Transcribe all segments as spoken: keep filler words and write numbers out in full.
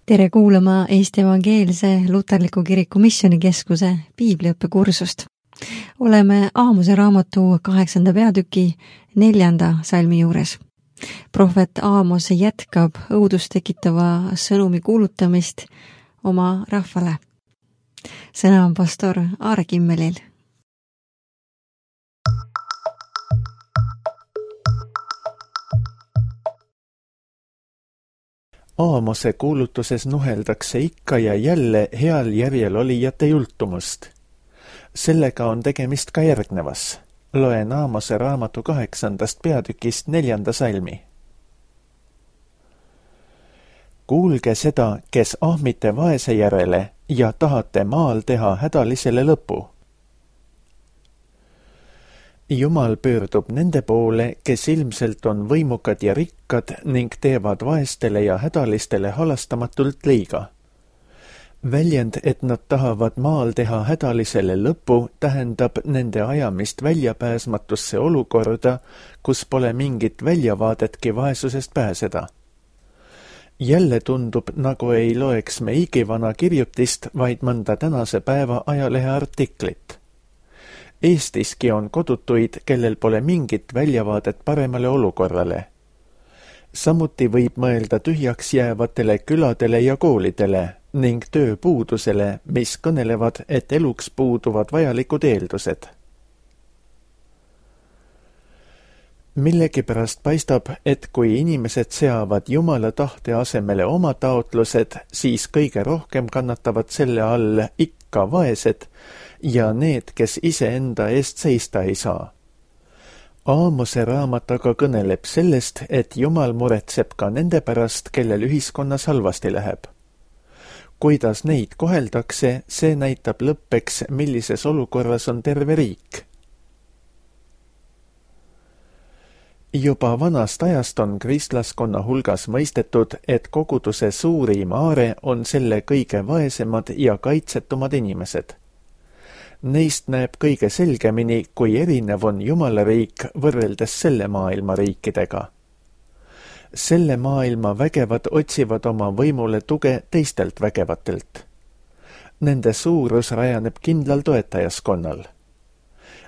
Tere kuulama Eesti Evangeelse Luterliku Kiriku Missioonikeskuse piibliõppekursust. Oleme Aamose raamatu kaheksanda peatüki neljanda salmi juures. Prohvet Aamos jätkab õudust tekitava sõnumi kuulutamist oma rahvale. Sõna on pastor Aare Kimmelil. Aamose kuulutuses nuheldakse ikka ja jälle heal järjel olijate jultumust. Sellega on tegemist ka järgnevas. Loen Aamose raamatu kaheksandast peatükist neljanda salmi. Kuulge seda, kes ahmite vaese järele ja tahate maal teha hädalisele lõpu. Jumal pöördub nende poole, kes ilmselt on võimukad ja rikkad ning teevad vaestele ja hädalistele halastamatult liiga. Väljend, et nad tahavad maal teha hädalisele lõpu, tähendab nende ajamist väljapääsmatusse olukorda, kus pole mingit väljavaadetki vaesusest pääseda. Jälle tundub, nagu ei loeks me igivana kirjutist, vaid mõnda tänase päeva ajalehe artiklit. Eestiski on kodutuid, kellel pole mingit väljavaadet paremale olukorrale. Samuti võib mõelda tühjaks jäävatele küladele ja koolidele ning tööpuudusele, mis kõnelevad, et eluks puuduvad vajalikud eeldused. Millegipärast paistab, et kui inimesed seavad Jumala tahte asemele oma taotlused, siis kõige rohkem kannatavad selle all ikka vaesed ja need, kes iseenda eest seista ei saa. Aamose raamat aga kõneleb sellest, et Jumal muretseb ka nende pärast, kellel ühiskonnas halvasti läheb. Kuidas neid koheldakse, see näitab lõppeks, millises olukorras on terve riik. Juba vanast ajast on kristlaskonna hulgas mõistetud, et koguduse suurim aare on selle kõige vaesemad ja kaitsetumad inimesed. Neist näeb kõige selgemini, kui erinev on Jumala riik võrreldes selle maailma riikidega. Selle maailma vägevad otsivad oma võimule tuge teistelt vägevatelt. Nende suurus rajaneb kindlal toetajaskonnal.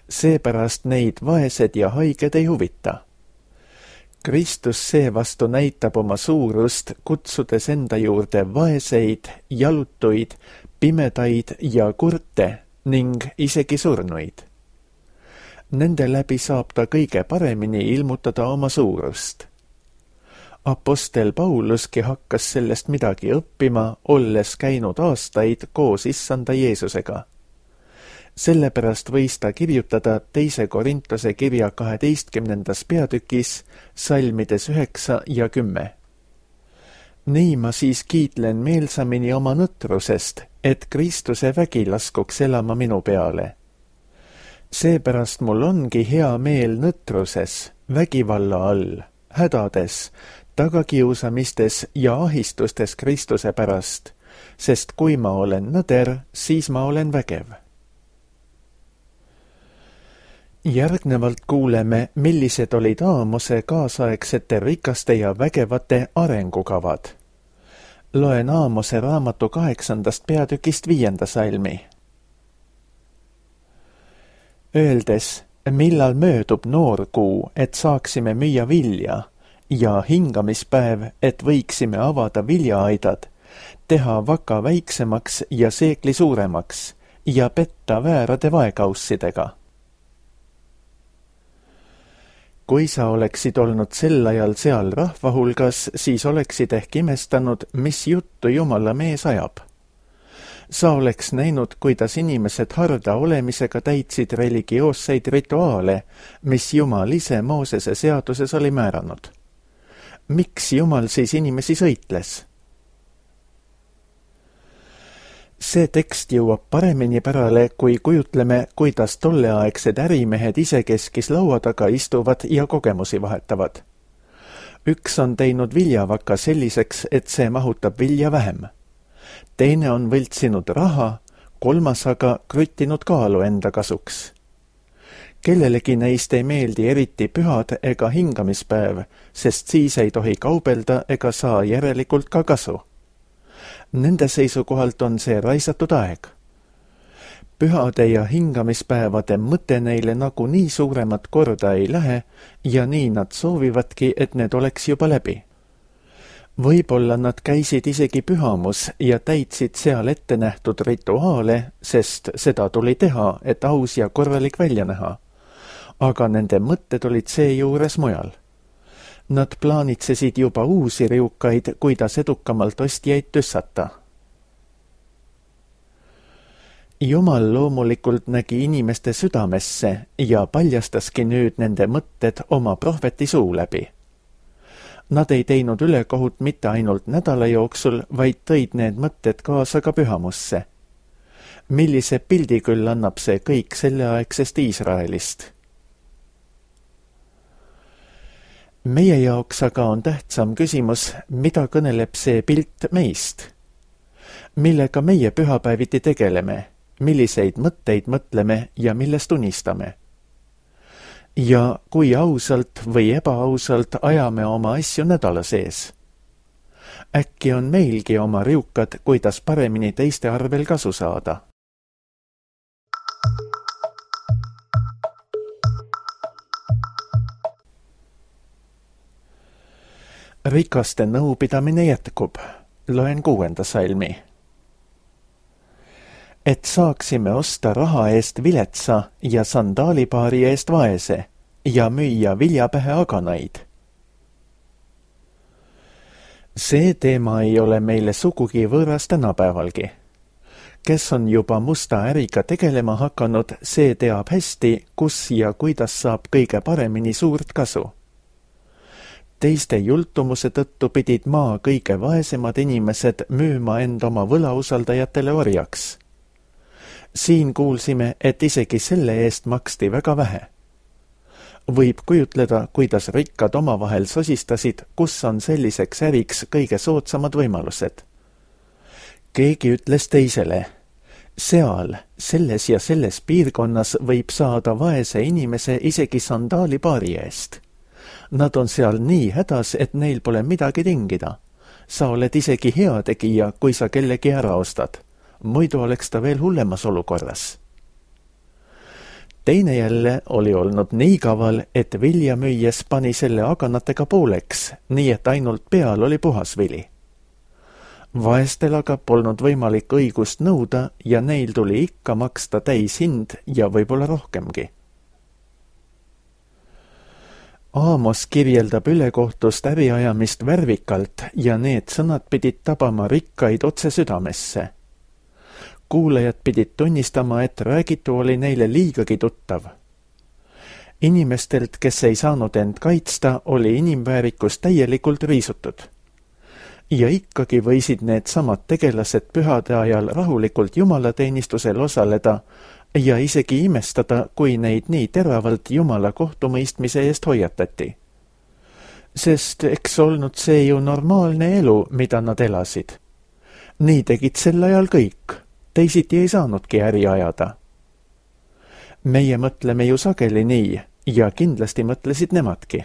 Seepärast neid vaesed ja haiged ei huvita. Kristus seevastu näitab oma suurust, kutsudes enda juurde vaeseid, jalutuid, pimedaid ja kurte ning isegi surnuid. Nende läbi saab ta kõige paremini ilmutada oma suurust. Apostel Pauluski hakkas sellest midagi õppima, olles käinud aastaid koos issanda Jeesusega. Sellepärast võis ta kirjutada teise Korintuse kirja kaheteistkümnendas peatükis, salmides üheksa ja kümme. Nii ma siis kiitlen meelsamini oma nõtrusest, et Kristuse vägi laskuks elama minu peale. Seepärast mul ongi hea meel nõtruses, vägivalla all, hädades, tagakiusamistes ja ahistustes Kristuse pärast, sest kui ma olen nõder, siis ma olen vägev. Järgnevalt kuuleme, millised olid Aamose kaasaegsete rikaste ja vägevate arengukavad. Loen Aamose raamatu kaheksandast peatükist viienda salmi. Öeldes, millal möödub noorkuu, et saaksime müüa vilja, ja hingamispäev, et võiksime avada viljaaidad, teha vaka väiksemaks ja seekli suuremaks ja petta väärade vaekaussidega. Kui sa oleksid olnud sel ajal seal rahva hulgas, siis oleksid ehk imestanud, mis juttu Jumala mees ajab. Sa oleks näinud, kuidas inimesed harda olemisega täitsid religioosseid rituaale, mis Jumal ise Moosese seaduses oli määranud. Miks Jumal siis inimesi sõitles? See tekst jõuab paremini pärale, kui kujutleme, kuidas tolleaegsed ärimehed isekeskis laua taga istuvad ja kogemusi vahetavad. Üks on teinud viljavaka selliseks, et see mahutab vilja vähem. Teine on võltsinud raha, kolmas aga krüttinud kaalu enda kasuks. Kellelegi neist ei meeldi eriti pühad ega hingamispäev, sest siis ei tohi kaubelda ega saa järelikult ka kasu. Nende seisukohalt on see raisatud aeg. Pühade ja hingamispäevade mõte neile nagu nii suuremat korda ei lähe ja nii nad soovivadki, et need oleks juba läbi. Võib-olla nad käisid isegi pühamus ja täitsid seal ette nähtud rituaale, sest seda tuli teha, et aus ja korralik välja näha. Aga nende mõtted olid seejuures mujal. Nad plaanitsesid juba uusi riukaid, kuidas edukamalt ostjaid tüssata. Jumal loomulikult nägi inimeste südamesse ja paljastaski nüüd nende mõtted oma prohveti suu läbi. Nad ei teinud ülekohut mitte ainult nädala jooksul, vaid tõid need mõtted kaasa ka pühamusse. Millise pildi küll annab see kõik selleaegsest Iisraelist? Meie jaoks aga on tähtsam küsimus, mida kõneleb see pilt meist? Millega meie pühapäeviti tegeleme? Milliseid mõtteid mõtleme ja millest unistame? Ja kui ausalt või ebaausalt ajame oma asju nädala sees? Äkki on meilgi oma riukad, kuidas paremini teiste arvel kasu saada? Rikaste nõupidamine jätkub. Loen kuuenda salmi. Et saaksime osta raha eest viletsa ja sandaalipaari eest vaese ja müüa viljapähe aganaid. See teema ei ole meile sugugi võõras tänapäevalgi. Kes on juba musta äriga tegelema hakanud, see teab hästi, kus ja kuidas saab kõige paremini suurt kasu. Teiste jultumuse tõttu pidid maa kõige vaesemad inimesed müüma end oma võlausaldajatele orjaks. Siin kuulsime, et isegi selle eest maksti väga vähe. Võib kujutleda, kuidas rikkad omavahel sosistasid, kus on selliseks äriks kõige soodsamad võimalused. Keegi ütles teisele, seal, selles ja selles piirkonnas võib saada vaese inimese isegi sandaalipaari eest. Nad on seal nii hädas, et neil pole midagi tingida. Sa oled isegi heategija, kui sa kellegi ära ostad. Muidu oleks ta veel hullemas olukorras. Teine jälle oli olnud nii kaval, et vilja müües pani selle aganatega pooleks, nii et ainult peal oli puhas vili. Vaestel aga polnud võimalik õigust nõuda ja neil tuli ikka maksta täis hind ja võib-olla rohkemgi. Aamos kirjeldab ülekohtust äriajamist värvikalt ja need sõnad pidid tabama rikkaid otse südamesse. Kuulajad pidid tunnistama, et räägitu oli neile liigagi tuttav. Inimestelt, kes ei saanud end kaitsta, oli inimväärikus täielikult riisutud. Ja ikkagi võisid need samad tegelased pühade ajal rahulikult jumalateenistusel osaleda ja isegi imestada, kui neid nii teravalt jumala kohtumõistmise eest hoiatati. Sest eks olnud see ju normaalne elu, mida nad elasid. Nii tegid sel ajal kõik. Teisiti ei saanudki äri ajada. Meie mõtleme ju sageli nii ja kindlasti mõtlesid nemadki.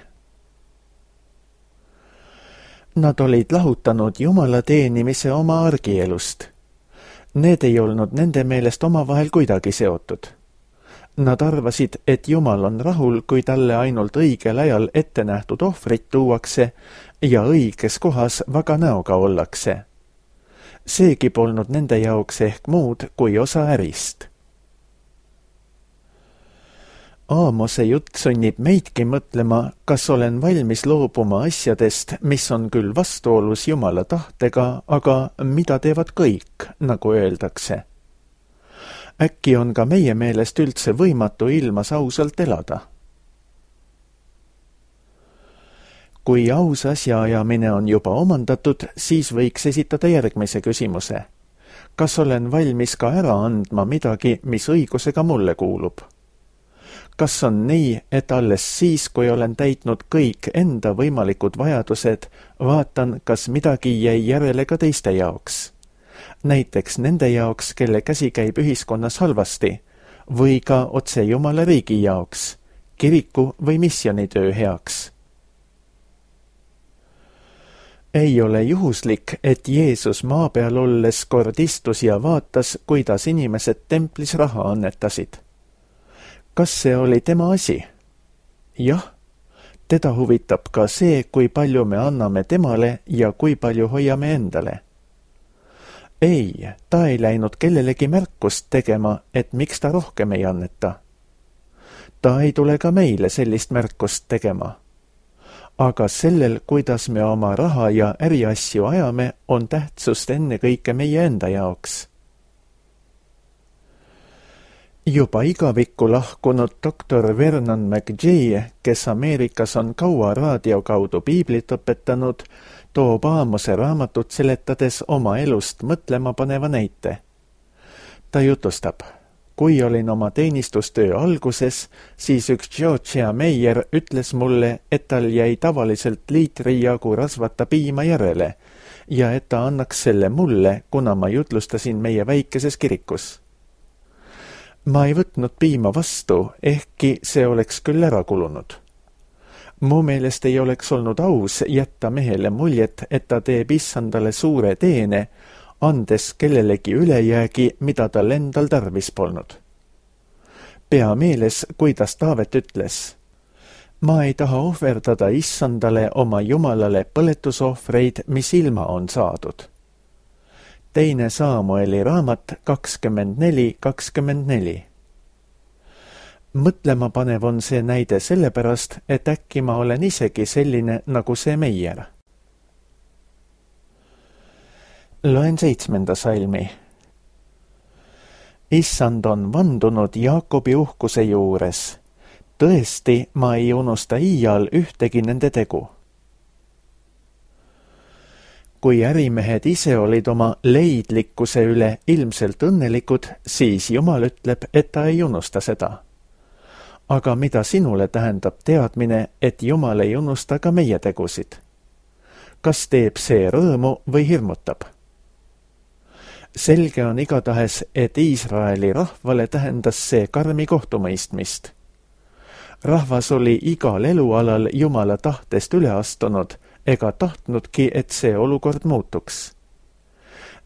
Nad olid lahutanud jumala teenimise oma argielust. Need ei olnud nende meelest omavahel kuidagi seotud. Nad arvasid, et jumal on rahul, kui talle ainult õigel ajal ette nähtud ohvrit tuuakse ja õiges kohas vaga näoga ollakse. Seegi polnud nende jaoks ehk muud kui osa ärist. Aamose jutt sunnib meidki mõtlema, kas olen valmis loobuma asjadest, mis on küll vastuolus jumala tahtega, aga mida teevad kõik, nagu öeldakse. Äkki on ka meie meelest üldse võimatu ilmas ausalt elada? Kui aus asjaajamine on juba omandatud, siis võiks esitada järgmise küsimuse. Kas olen valmis ka ära andma midagi, mis õigusega mulle kuulub? Kas on nii, et alles siis, kui olen täitnud kõik enda võimalikud vajadused, vaatan, kas midagi jäi järele ka teiste jaoks? Näiteks nende jaoks, kelle käsi käib ühiskonnas halvasti, või ka otse Jumala riigi jaoks, kiriku või missionitöö heaks. Ei ole juhuslik, et Jeesus maa peal olles kord istus ja vaatas, kuidas inimesed templis raha annetasid. Kas see oli tema asi? Jah, teda huvitab ka see, kui palju me anname temale ja kui palju hoiame endale. Ei, ta ei läinud kellelegi märkust tegema, et miks ta rohkem ei anneta. Ta ei tule ka meile sellist märkust tegema. Aga sellel, kuidas me oma raha ja äriasju ajame, on tähtsust ennekõike meie enda jaoks. Juba igavikku lahkunud doktor Vernon McGee, kes Ameerikas on kaua raadio kaudu piiblit õpetanud, toob Aamose raamatut seletades oma elust mõtlema paneva näite. Ta jutustab, kui olin oma teenistustöö alguses, siis üks Georgia Meyer ütles mulle, et tal jäi tavaliselt liitri jagu rasvata piima järele ja et ta annaks selle mulle, kuna ma jutlustasin meie väikeses kirikus. Ma ei võtnud piima vastu, ehkki see oleks küll ära kulunud. Mu meelest ei oleks olnud aus jätta mehele muljet, et ta teeb issandale suure teene, andes kellelegi ülejäägi, mida tal endal tarvis polnud. Pea meeles, kuidas Taavet ütles, ma ei taha ohverdada issandale oma jumalale põletusohvreid, mis ilma on saadud. Teine Saamueli raamat kakskümmend neli kakskümmend neli. Mõtlema panev on see näide sellepärast, et äkki ma olen isegi selline nagu see Meier. Loen seitsmenda salmi. Issand on vandunud Jaakobi uhkuse juures. Tõesti, ma ei unusta iial ühtegi nende tegu. Kui ärimehed ise olid oma leidlikkuse üle ilmselt õnnelikud, siis Jumal ütleb, et ta ei unusta seda. Aga mida sinule tähendab teadmine, et Jumal ei unusta ka meie tegusid? Kas teeb see rõõmu või hirmutab? Selge on igatahes, et Iisraeli rahvale tähendas see karmi kohtumõistmist. Rahvas oli igal elualal Jumala tahtest üle astunud, ega tahtnudki, et see olukord muutuks.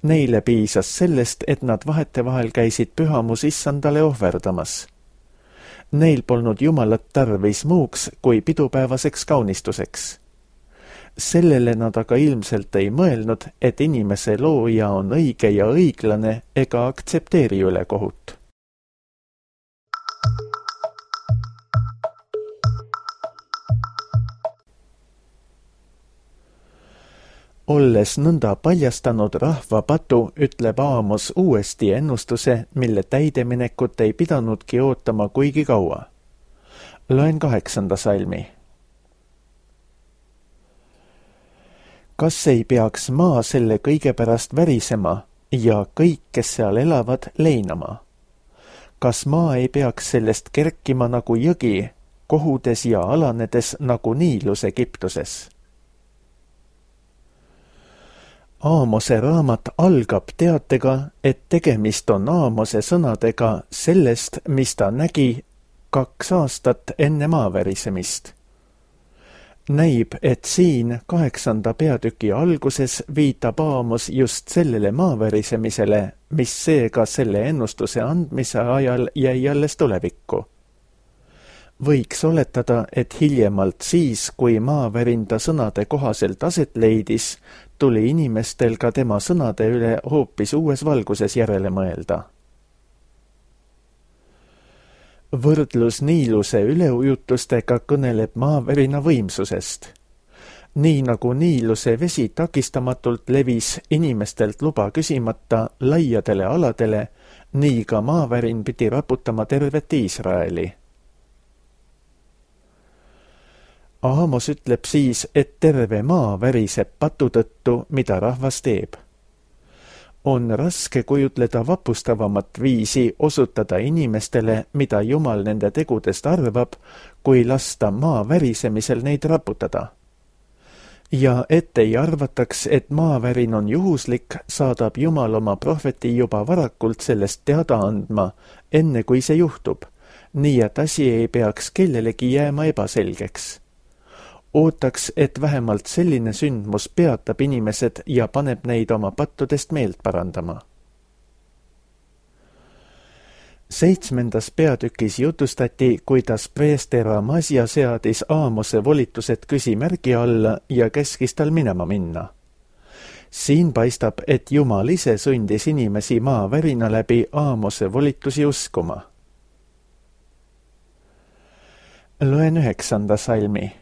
Neile piisas sellest, et nad vahetevahel käisid pühamus issandale ohverdamas. Neil polnud Jumalat tarvis muuks kui pidupäevaseks kaunistuseks. Sellele nad aga ilmselt ei mõelnud, et inimese looja on õige ja õiglane ega aktsepteeri ülekohut. Olles nõnda paljastanud rahva patu, ütleb Aamos uuesti ennustuse, mille täideminekut ei pidanudki ootama kuigi kaua. Loen kaheksanda salmi. Kas ei peaks maa selle kõige pärast värisema ja kõik, kes seal elavad, leinama? Kas maa ei peaks sellest kerkima nagu jõgi, kohudes ja alanedes nagu Niilus Egiptuses? Aamose raamat algab teatega, et tegemist on Aamose sõnadega sellest, mis ta nägi kaks aastat enne maavärisemist. Näib, et siin kaheksanda peatüki alguses viitab Aamos just sellele maavärisemisele, mis seega selle ennustuse andmise ajal jäi alles tulevikku. Võiks oletada, et hiljemalt siis, kui maavärinda sõnade kohaselt aset leidis, tuli inimestel ka tema sõnade üle hoopis uues valguses järele mõelda. Võrdlus Niiluse üleujutustega kõneleb maavärina võimsusest. Nii nagu Niiluse vesi takistamatult levis inimestelt luba küsimata laiadele aladele, nii ka maavärin pidi raputama tervet Iisraeli. Aamos ütleb siis, et terve maa väriseb patu tõttu, mida rahvas teeb. On raske kujutleda vapustavamat viisi osutada inimestele, mida Jumal nende tegudest arvab, kui lasta maa värisemisel neid raputada. Ja et ei arvataks, et maavärin on juhuslik, saadab Jumal oma prohveti juba varakult sellest teada andma, enne kui see juhtub, nii et asi ei peaks kellelegi jääma ebaselgeks. ootaks, et vähemalt selline sündmus peatab inimesed ja paneb neid oma pattudest meelt parandama. Seitsmendas peatükis jutustati, kuidas preester Amasja seadis Aamose volitused küsimärgi alla ja käskis tal minema minna. Siin paistab, et Jumal ise sundis inimesi maavärina läbi Aamose volitusi uskuma. Loen üheksanda salmi.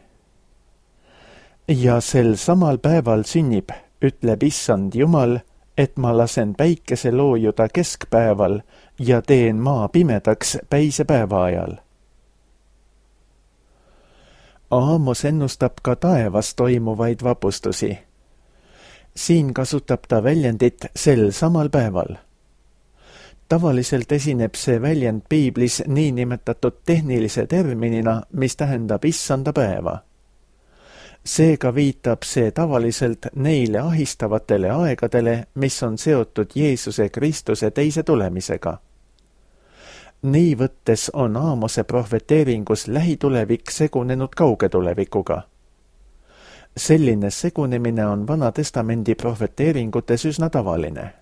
Ja sel samal päeval sünnib, ütleb Issand Jumal, et ma lasen päikese loojuda keskpäeval ja teen maa pimedaks päisepäeva ajal. Aamos ennustab ka taevas toimuvaid vapustusi. Siin kasutab ta väljendit sel samal päeval. Tavaliselt esineb see väljend piiblis niinimetatud tehnilise terminina, mis tähendab issanda päeva. Seega viitab see tavaliselt neile ahistavatele aegadele, mis on seotud Jeesuse Kristuse teise tulemisega. Nii võttes on Aamose prohveteeringus lähitulevik segunenud kauge tulevikuga. Selline segunemine on Vana Testamendi prohveteeringutes üsna tavaline.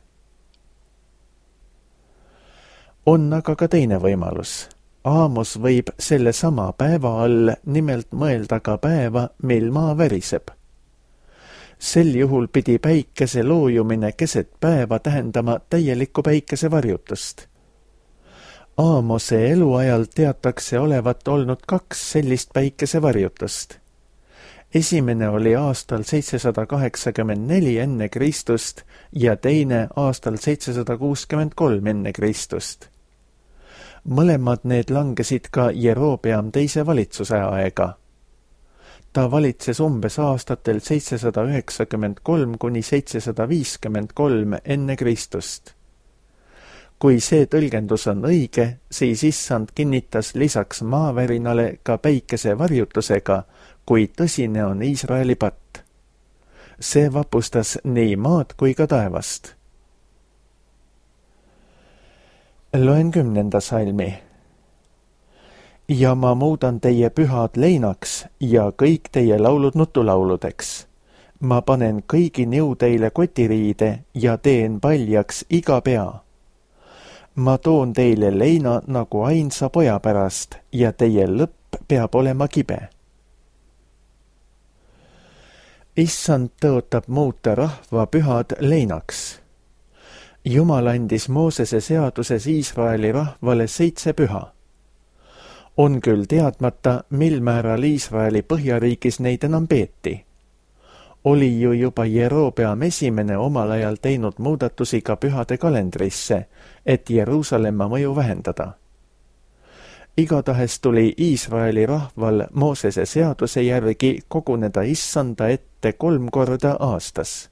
On aga ka teine võimalus. Aamos võib selle sama päeva all nimelt mõelda ka päeva, mil maa väriseb. Sel juhul pidi päikese loojumine keset päeva tähendama täielikku päikesevarjutust. Aamose eluajal teatakse olevat olnud kaks sellist päikesevarjutust. Esimene oli aastal seitsesada kaheksakümmend neli enne Kristust ja teine aastal seitsesada kuuskümmend kolm enne Kristust. Mõlemad need langesid ka Jerobeam teise valitsuse aega. Ta valitses umbes aastatel seitsesada üheksakümmend kolm kuni seitsesada viiskümmend kolm enne Kristust. Kui see tõlgendus on õige, siis Issand kinnitas lisaks maavärinale ka päikese varjutusega, kui tõsine on Iisraeli patt. See vapustas nii maad kui ka taevast. Loen kümnenda salmi. Ja ma muudan teie pühad leinaks ja kõik teie laulud nutulauludeks. Ma panen kõigi niu teile kotiriide ja teen paljaks iga pea. Ma toon teile leina nagu ainsa poja pärast ja teie lõpp peab olema kibe. Issand tõotab muuta rahva pühad leinaks. Jumal andis Moosese seaduses Iisraeli rahvale seitse püha. On küll teadmata, mil määral Iisraeli põhjariigis neid enam peeti. Oli ju juba Jerobeam esimene omal ajal teinud muudatusi ka pühade kalendrisse, et Jeruusalemma mõju vähendada. Igatahes tuli Iisraeli rahval Moosese seaduse järgi koguneda Issanda ette kolm korda aastas.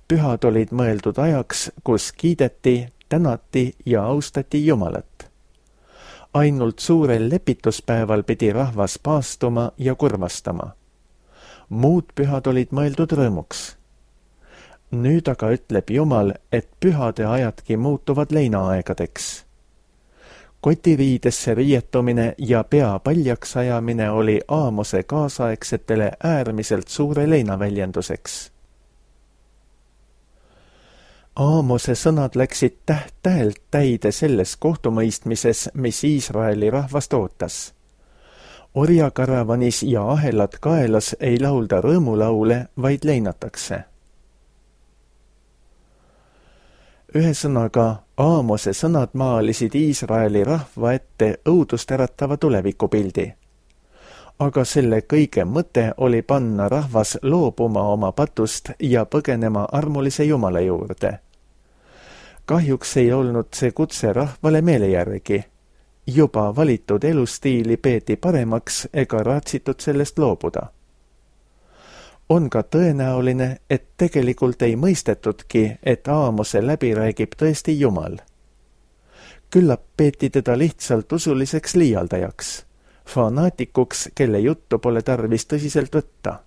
Pühad olid mõeldud ajaks, kus kiideti, tänati ja austati Jumalat. Ainult suurel lepituspäeval pidi rahvas paastuma ja kurvastama. Muud pühad olid mõeldud rõõmuks. Nüüd aga ütleb Jumal, et pühade ajadki muutuvad leinaaegadeks. Kotiriidesse riietumine ja pea paljaks ajamine oli Aamose kaasaegsetele äärmiselt suure leinaväljenduseks. Aamose sõnad läksid täht-tähelt täide selles kohtumõistmises, mis Iisraeli rahvast ootas. Orjakaravanis ja ahelad kaelas ei laulda rõõmulaule, vaid leinatakse. Ühesõnaga, Aamose sõnad maalisid Iisraeli rahva ette õudust äratava tulevikupildi. Aga selle kõige mõte oli panna rahvas loobuma oma patust ja põgenema armulise Jumala juurde. Kahjuks ei olnud see kutse rahvale meele järgi. Juba valitud elustiili peeti paremaks ega raatsitud sellest loobuda. On ka tõenäoline, et tegelikult ei mõistetudki, et Aamose läbi räägib tõesti Jumal. Küllap peeti teda lihtsalt usuliseks liialdajaks. Fanaatikuks, kelle juttu pole tarvis tõsiselt võtta.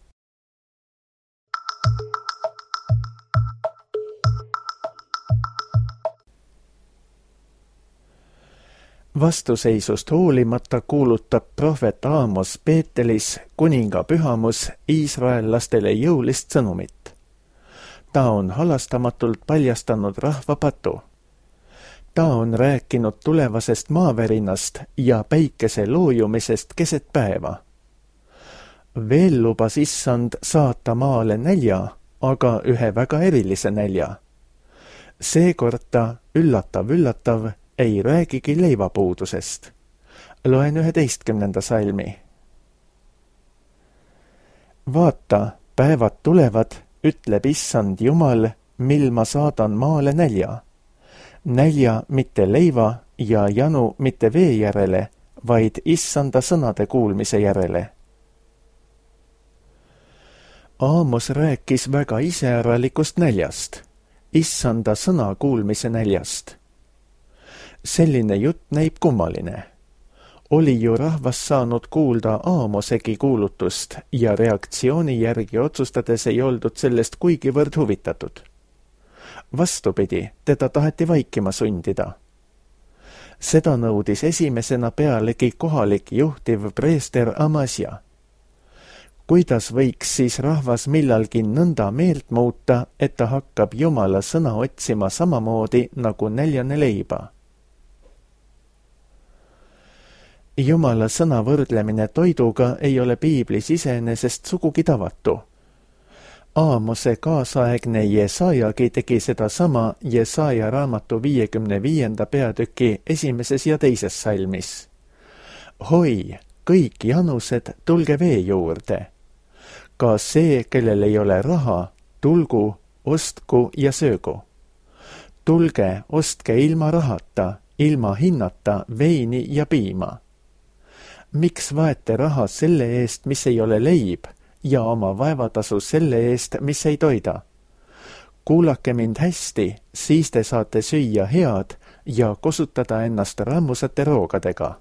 Vastuseisust hoolimata kuulutab prohvet Aamos Peetelis kuninga pühamus iisraellastele jõulist sõnumit. Ta on halastamatult paljastanud rahva patu. Ta on rääkinud tulevasest maavärinast ja päikese loojumisest keset päeva. Veel lubas issand saata maale nälja, aga ühe väga erilise nälja. Seekord ta, üllatav, üllatav, ei räägigi leivapuudusest. Loen üheteistkümnenda salmi. Vaata, päevad tulevad, ütleb issand Jumal, mil ma saadan maale nälja. Nälja mitte leiva ja janu mitte vee järele, vaid issanda sõnade kuulmise järele. Aamos rääkis väga iseäralikust näljast, issanda sõna kuulmise näljast. Selline jutt näib kummaline. Oli ju rahvas saanud kuulda Aamosegi kuulutust ja reaktsiooni järgi otsustades ei oldud sellest kuigivõrd huvitatud. Vastupidi, teda taheti vaikima sundida. Seda nõudis esimesena pealegi kohalik juhtiv preester Amasja. Kuidas võiks siis rahvas millalgi nõnda meelt muuta, et ta hakkab Jumala sõna otsima samamoodi nagu näljane leiba? Jumala sõna võrdlemine toiduga ei ole piiblis iseenesest sugugi tavatu. Aamose kaasaegne Jesajagi tegi seda sama Jesaja raamatu viiekümne viienda peatüki esimeses ja teises salmis. Hoi, kõik janused, tulge vee juurde. Ka see, kellel ei ole raha, tulgu, ostku ja söögu. Tulge, ostke ilma rahata, ilma hinnata veini ja piima. Miks vaete raha selle eest, mis ei ole leib, ja oma vaevatasu selle eest, mis ei toida? Kuulake mind hästi, siis te saate süüa head ja kosutada ennast rammusate roogadega.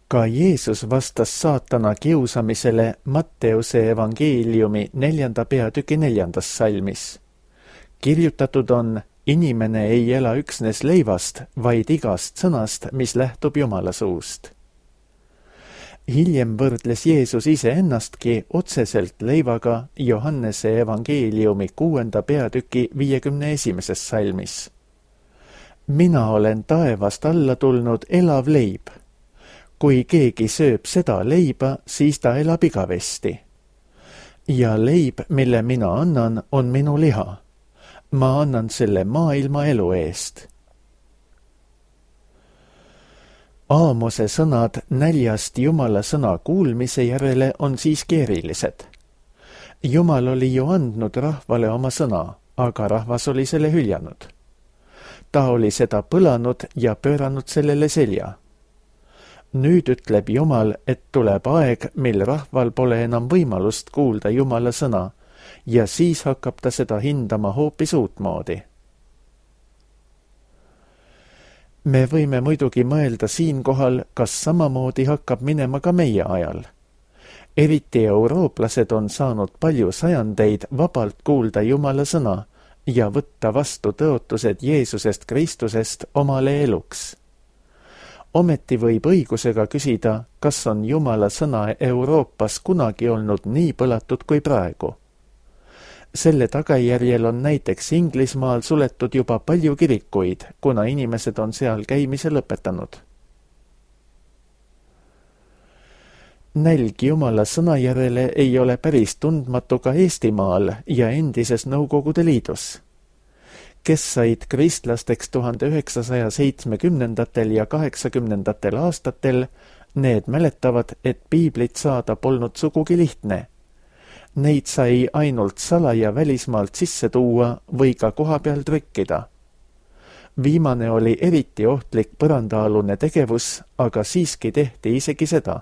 Ka Jeesus vastas saatana kiusamisele Matteuse evangeeliumi neljanda peatüki neljandas salmis. Kirjutatud on, inimene ei ela üksnes leivast, vaid igast sõnast, mis lähtub Jumala suust. Hiljem võrdles Jeesus ise ennastki otseselt leivaga Johannese evangeeliumi kuuenda peatüki viiekümne esimeses salmis. Mina olen taevast alla tulnud elav leib. Kui keegi sööb seda leiba, siis ta elab igavesti. Ja leib, mille mina annan, on minu liha. Ma annan selle maailma elu eest. Aamose sõnad näljast Jumala sõna kuulmise järele on siiski erilised. Jumal oli ju andnud rahvale oma sõna, aga rahvas oli selle hüljanud. Ta oli seda põlanud ja pööranud sellele selja. Nüüd ütleb Jumal, et tuleb aeg, mil rahval pole enam võimalust kuulda Jumala sõna ja siis hakkab ta seda hindama hoopis uutmoodi. Me võime muidugi mõelda siinkohal, kas samamoodi hakkab minema ka meie ajal. Eriti eurooplased on saanud palju sajandeid vabalt kuulda Jumala sõna ja võtta vastu tõotused Jeesusest Kristusest omale eluks. Ometi võib õigusega küsida, kas on Jumala sõna Euroopas kunagi olnud nii põlatud kui praegu. Selle tagajärjel on näiteks Inglismaal suletud juba palju kirikuid, kuna inimesed on seal käimise lõpetanud. Nälg Jumala sõna järele ei ole päris tundmatu ka Eestimaal ja endises Nõukogude Liidus. Kes said kristlasteks tuhande üheksasaja seitsmekümnendatel ja kaheksakümnendatel aastatel, need mäletavad, et piiblit saada polnud sugugi lihtne. Neid sai ainult salaja välismaalt sisse tuua või ka koha peal trükkida. Viimane oli eriti ohtlik põrandaalune tegevus, aga siiski tehti isegi seda.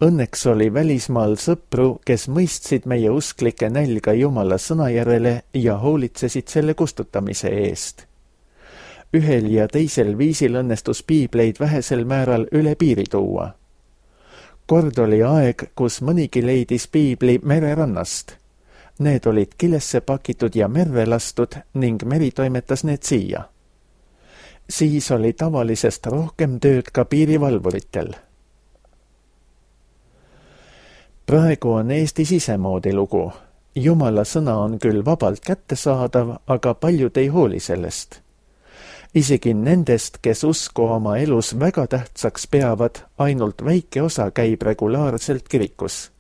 Õnneks oli välismaal sõpru, kes mõistsid meie usklike nälga Jumala sõna järele ja hoolitsesid selle kustutamise eest. Ühel ja teisel viisil õnnestus piibleid vähesel määral üle piiri tuua. Kord oli aeg, kus mõnigi leidis piibli mererannast. Need olid kilesse pakitud ja merre lastud ning meri toimetas need siia. Siis oli tavalisest rohkem tööd ka piirivalvuritel. Praegu on Eestis isemoodi lugu. Jumala sõna on küll vabalt kättesaadav, aga paljud ei hooli sellest. Isegi nendest, kes usku oma elus väga tähtsaks peavad, ainult väike osa käib regulaarselt kirikus.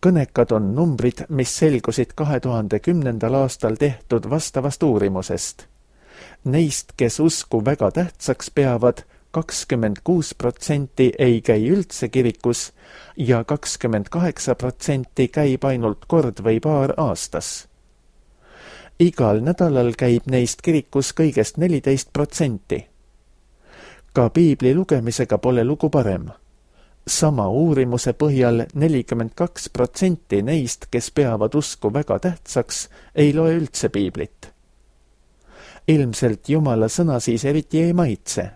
Kõnekad on numbrid, mis selgusid kahe tuhande kümnendal aastal tehtud vastavast uurimusest. Neist, kes usku väga tähtsaks peavad, kakskümmend kuus protsenti ei käi üldse kirikus ja kakskümmend kaheksa protsenti käib ainult kord või paar aastas. Igal nädalal käib neist kirikus kõigest neliteist protsenti. Ka piibli lugemisega pole lugu parem. Sama uurimuse põhjal nelikümmend kaks protsenti neist, kes peavad usku väga tähtsaks, ei loe üldse piiblit. Ilmselt Jumala sõna siis eriti ei maitse.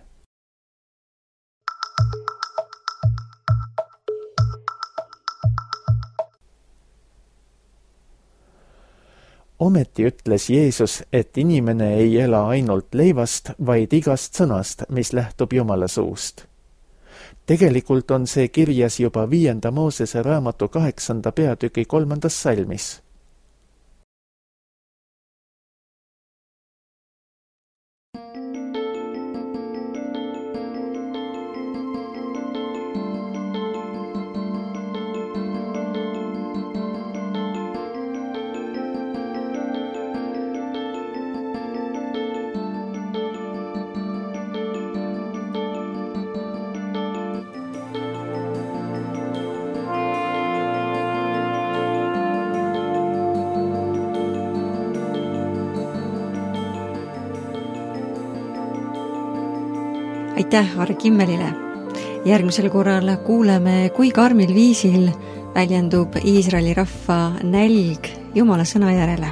Ometi ütles Jeesus, et inimene ei ela ainult leivast, vaid igast sõnast, mis lähtub Jumala suust. Tegelikult on see kirjas juba viienda Moosese raamatu kaheksanda peatüki kolmandas salmis. Aitäh Harri Kimmelile. Järgmisel korral kuuleme, kui karmil viisil väljendub Iisraeli rahva nälg Jumala sõna järele.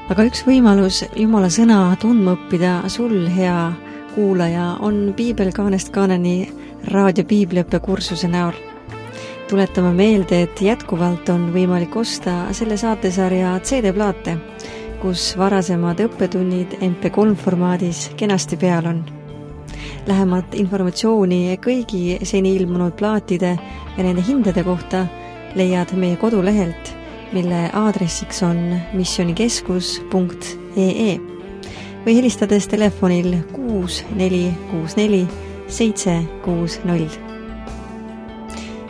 Aga üks võimalus Jumala sõna tundma õppida sul, hea kuulaja, on Piibel kaanest kaaneni raadio piibliõppe kursuse näol. Tuletame meelde, et jätkuvalt on võimalik osta selle saatesarja C D-plaate, kus varasemad õppetunnid M P kolm formaadis kenasti peal on. Lähemat informatsiooni kõigi seni ilmunud plaatide ja nende hindade kohta leiad meie kodulehelt, mille aadressiks on missionikeskus punkt e e või helistades telefonil kuus neli kuus neli seitse kuus null.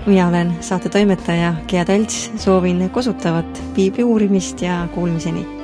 Mina olen saate toimetaja Gea Talts, soovin kosutavat piibli uurimist ja kuulmiseni.